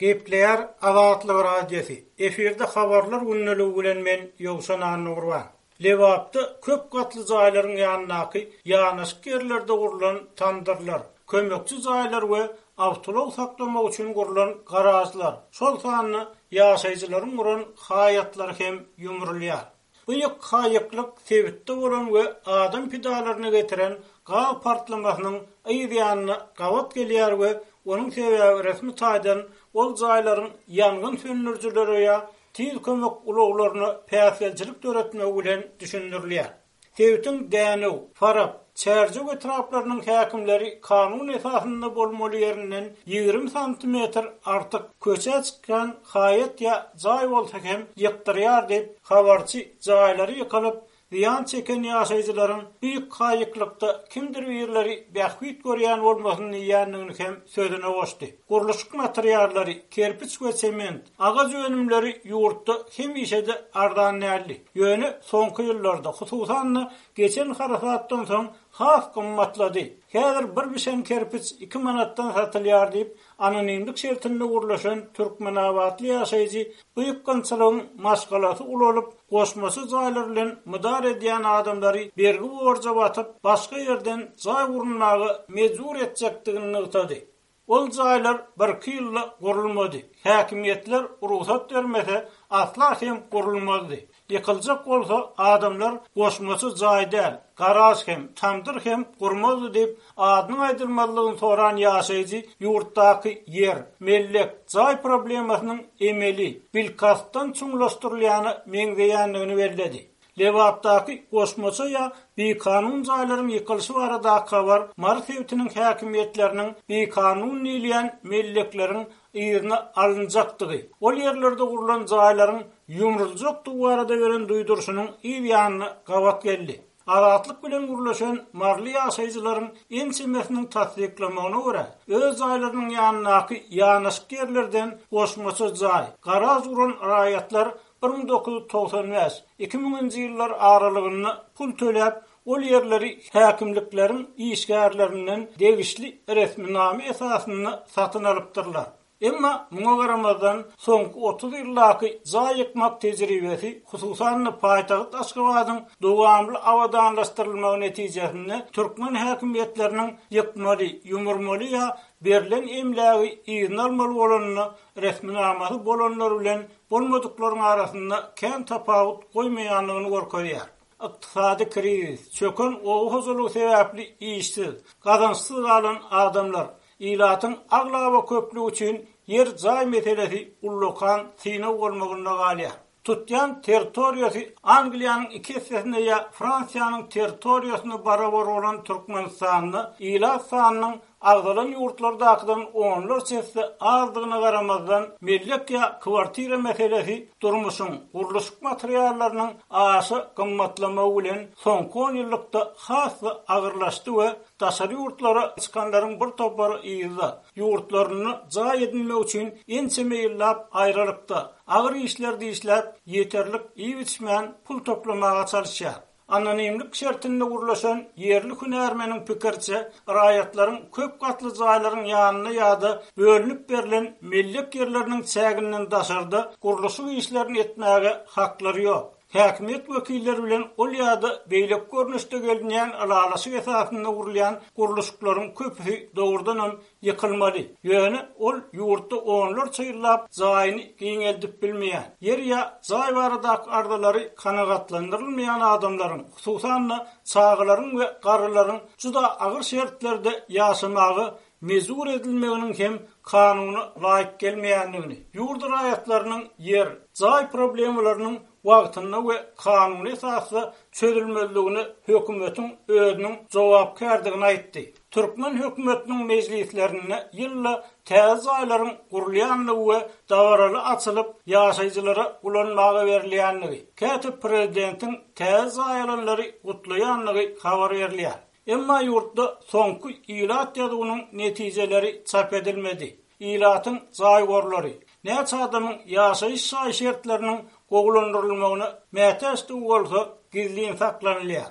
Gepleýär Azatlyk Radiosy, efirde Habarlar gündeligi bilen men Ýowşan Annagurban. Lebapda köp gatly jaýlaryň ýanyndaky ýanaşyk ýerlerde gurlan tamdyrlar, kömekçi jaýlar we awtoulag saklamak üçin gurlan garažlar, şol sanda ýaşaýjylaryň guran haýatlary hem ýumrulýar. Bu ýykga-ýyklyk sebitde bolan we adam pidalaryna getiren gaz partlamasynyň yz ýanyna gabat gelýär we onuň sebäbi resmi taýdan ol jaýlaryň ýangyn söndürijilere ýa tiz kömek ulaglaryna päsgelçilik döretmegi bilen düşündirilýär. Sebitiň Dänew, Farap, Çärjew etraplarynyň häkimleri kanun esasynda bolmaly ýerinden 20 santimetr artyk köçä çykýan haýat ýa jaý bolsa hem ýykdyrýar diýip, habarçy jaýlary ýykylyp, zyýan çeken ýaşaýjylaryň bu ýykga-ýyklykda kimdir birleri bähbit görýän bolmasyn diýýändigini hem sözüne goşdy. Gurluşyk materiallary, kerpiç we sement, Agaç önümleri ýurtda hemişe-de arzan däldi. Ýöne soňky ýyllarda, hususan-da, geçen harasatdan soň has gymmatlady. Häzir bir bişen kerpiç iki manatdan satylýar diýip, anonimlik şertinde gürleşen türkmenabatly ýaşaýjy bu ýykgynçylygyň maşgalasy ulalyp, goşmaça jaýlar bilen mydar edýän adamlary bergi-borja batyp, başga ýerden jaý gurunmaga mejbur etjekdigini nygtady. Ol jaýlar birki ýylda gurulmady. Häkimiýetler rugsat bermese, asla hem gurulmazdy. Ýykyljak bolsa, adamlar goşmaça jaý däl, garaž hem, tamdyr hem gurmazdy diýip, adynyň aýdylmazlygyny soran ýaşaýjy ýurtdaky ýer, mellek, jaý problemasynyň emeli, bilkastdan çuňlaşdyrylýana meňzeýändigini belledi. Lebapdaky goşmaça ýa bikanun jaýlaryň ýykylyşy baradaky habar Mary sebitiniň häkimiýetleriniň bikanun diýilýän mellekleriň yzyna alynjakdygy, ol ýerlerde gurlan jaýlaryň ýumruljakdygy barada beren duýduryşynyň yz ýanyna gabat geldi. Azatlyk bilen gürleşen maryly ýaşaýjylaryň ençemesiniň tassyklamagyna görä, öz jaýlarynyň ýanyndaky ýanaşyk ýerlerden goşmaça jaý, garaž guran raýatlar 1995, 2000-nji ýyllar aralygynda pul töläp, ol ýerleri häkimlikleriň işgärlerinden degişli resminama esasynda satyn alypdyrlar. Emma muňa garamazdan, soňky 30 ýyldaky jaý ýykmak tejribesi, hususan-da paýtagt Aşgabadyň dowamly abadanlaşdyrylmagy netijesinde türkmen häkimiýetleriniň ýykmaly, ýumurmaly ýa berlen emlägi yzyna almaly bolanda resminamasy bolanlar bilen bolmadyklaryň arasynda kän tapawut goýmaýandygyny görkezýär. Ykdysady krizis, çöken oba hojalygy sebäpli işsiz, gazançsyz galan adamlar, ilatyň aglaba köplügi üçin ýer-jaý meselesi ullakan synag bolmagynda galýar. Tutýan territoriýasy Angliýanyň iki essesine ýa Fransiýanyň territoriýasyna barabar bolan Türkmenistanda ilat sanynyň agzalan ýurtlardakydan onlarça esse azdygyna garamazdan, mellek ýa kwartira meselesi durmuşyň, gurluşyk materiallarynyň aşa gymmatlamagy bilen soňky onýyllykda has-da agyrlaşdy we daşary ýurtlara çykanlaryň bir topary yzda, ýurtlarynda jaý edinmek üçin ençeme ýyllap aýralykda, agyr işlerde işläp, ýeterlik iýip-içmän pul toplamaga çalyşýar. Anonimlik şertinde gürleşen ýerli hünärmeniň pikiriçe, raýatlaryň köp gatly jaýlaryň ýanynda ýa-da bölünip berlen mellek ýerleriniň çäginden daşarda gurluşyk işlerini etmäge haklary ýok. Häkimiýet wekilleri bilen ol ýa-da beýleki görnüşde gelinýän ylalaşyk esasynda gurulýan gurluşyklaryň köpüsi dogrudanam ýykylmaly. Ýöne ol ýurtda onlarça ýyllap jaýyny giňeldip bilmeýän, ýer ýa jaý baradaky arzalary kanagatlandyrylmaýan adamlaryň, hususan-da, çagalaryň we garrylaryň juda agyr şertlerde ýaşamaga mejbur edilmeginiň hem kanuna laýyk gelmeýändigini, ýurt raýatlarynyň ýer, jaý problemalarynyň wagtynda we kanuny esasda çözülmezligine hökümetiň özüniň jogapkärdigini aýtdy. Türkmen hökümetiniň mejlislerinde ýylda täze jaýlaryň gurulýandygy we dabaraly açylyp, ýaşaýjylara ulanmaga berilýändigi, käte prezidentiň täze jaý alanlary gutlaýandygy habar berilýär. Emma ýurtda soňky ilat ýazuwynyň netijeleri çap edilmedi. Ilatyň jaý gorlary, näçe adamyň ýaşaýyş jaý şertleriniň gowulandyrylmagyna mätäçdigi bolsa gizlin saklanylýar.